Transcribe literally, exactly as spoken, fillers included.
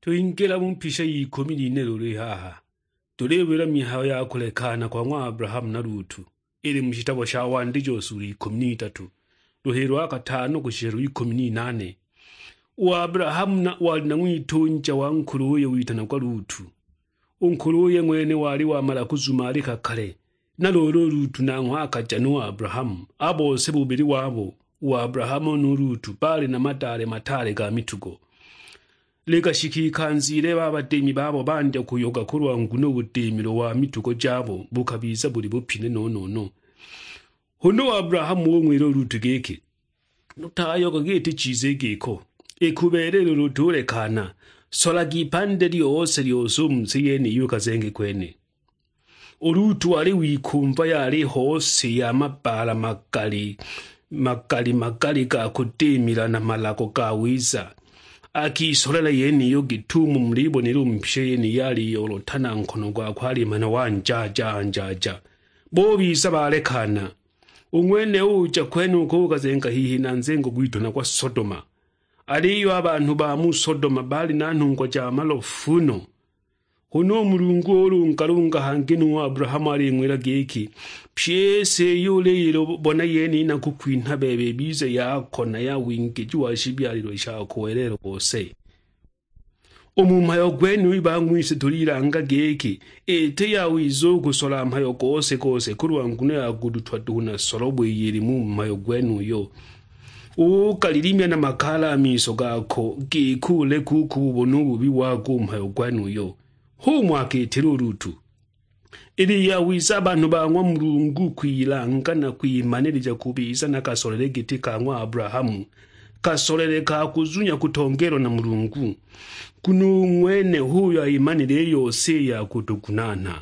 Twingila mu mpisha y'ikumi n'ine lulu i haha, tuliwila mihayo ya kulekana kwa ng'wa Abrahamu na Lutu, ili mu shitabo sha Wandijo sulu ikumi n'itatu, luhilo lwa katano kushisha lw'ikumi n'inane. U Abrahamu na wali na ng'witunja wa nkuluye witanagwa Lutu. U nkuluye ng'wene wali wamala kuzumalika kale, na luulu u Lutu nanghwe akaja nu Abrahamu, a bose bubili wabo, u Abrahamu nu Lutu, baali na madaale mataale ga mitugo. Likashika ikanza ilebe a badimi babo bandya kuyoga kulwa nguno u budimilo wa mitugo jabo bukabiza buli bupine no-no-no. Huna u Abrahamu ung'wila u Lutu giki, "Utayoga giti chiza i giko, i kubeelela ulu utulekana, solaga ipande lyose-lyose u mu si yeniyi ukazenge kwene." U Lutu wali wikumva yali hose ya mabbaala magali, magali-magali ga kudimila na malago ga wiza. Akisolela yeniyo gitumo mulibonela u mpisha yeniyi aliyolotana nkono gwakwe alimana wanjaaja-anjaaja. Bubiza balekana. U ng'wene uja kwenuko ukazenga hihi na nzengo gwitanagwa Sodoma. Aliyo a banhu ba mu Sodoma baali na nhungwa ja malofu no. Huna u Mulungu ulungalunga hangi nu Abrahamu aling'wila giki, "Pyi i si iyo uliyibona yeniyi nakukwinha bebe ibize yako na ya wingiji wa shibyalilwe shako welelo bose." U mu mhayo gwenuyu bang'wise tulilanga giki, iti yawiza u kusola mhayo gose-gose kulwa nguno ya kudutwa duhu na solobo iyo ili mu mhayo gwenuyo. Ukalilimya na makaala a miso gako, giki uleke u kububona u bubi wago u mhayo gwenuyo. H'umo akitila u Lutu. Ili yawiza a banhu ba ng'wa Mulungu kwilanga na kwimanilija kubiza na kasolele giti ka ng'wa Abrahamu, kasolele ka kuzunya kutongeelwa na Mulungu, nguno u ng'wene h'uyo aimanile i yose i ya kutugunaana.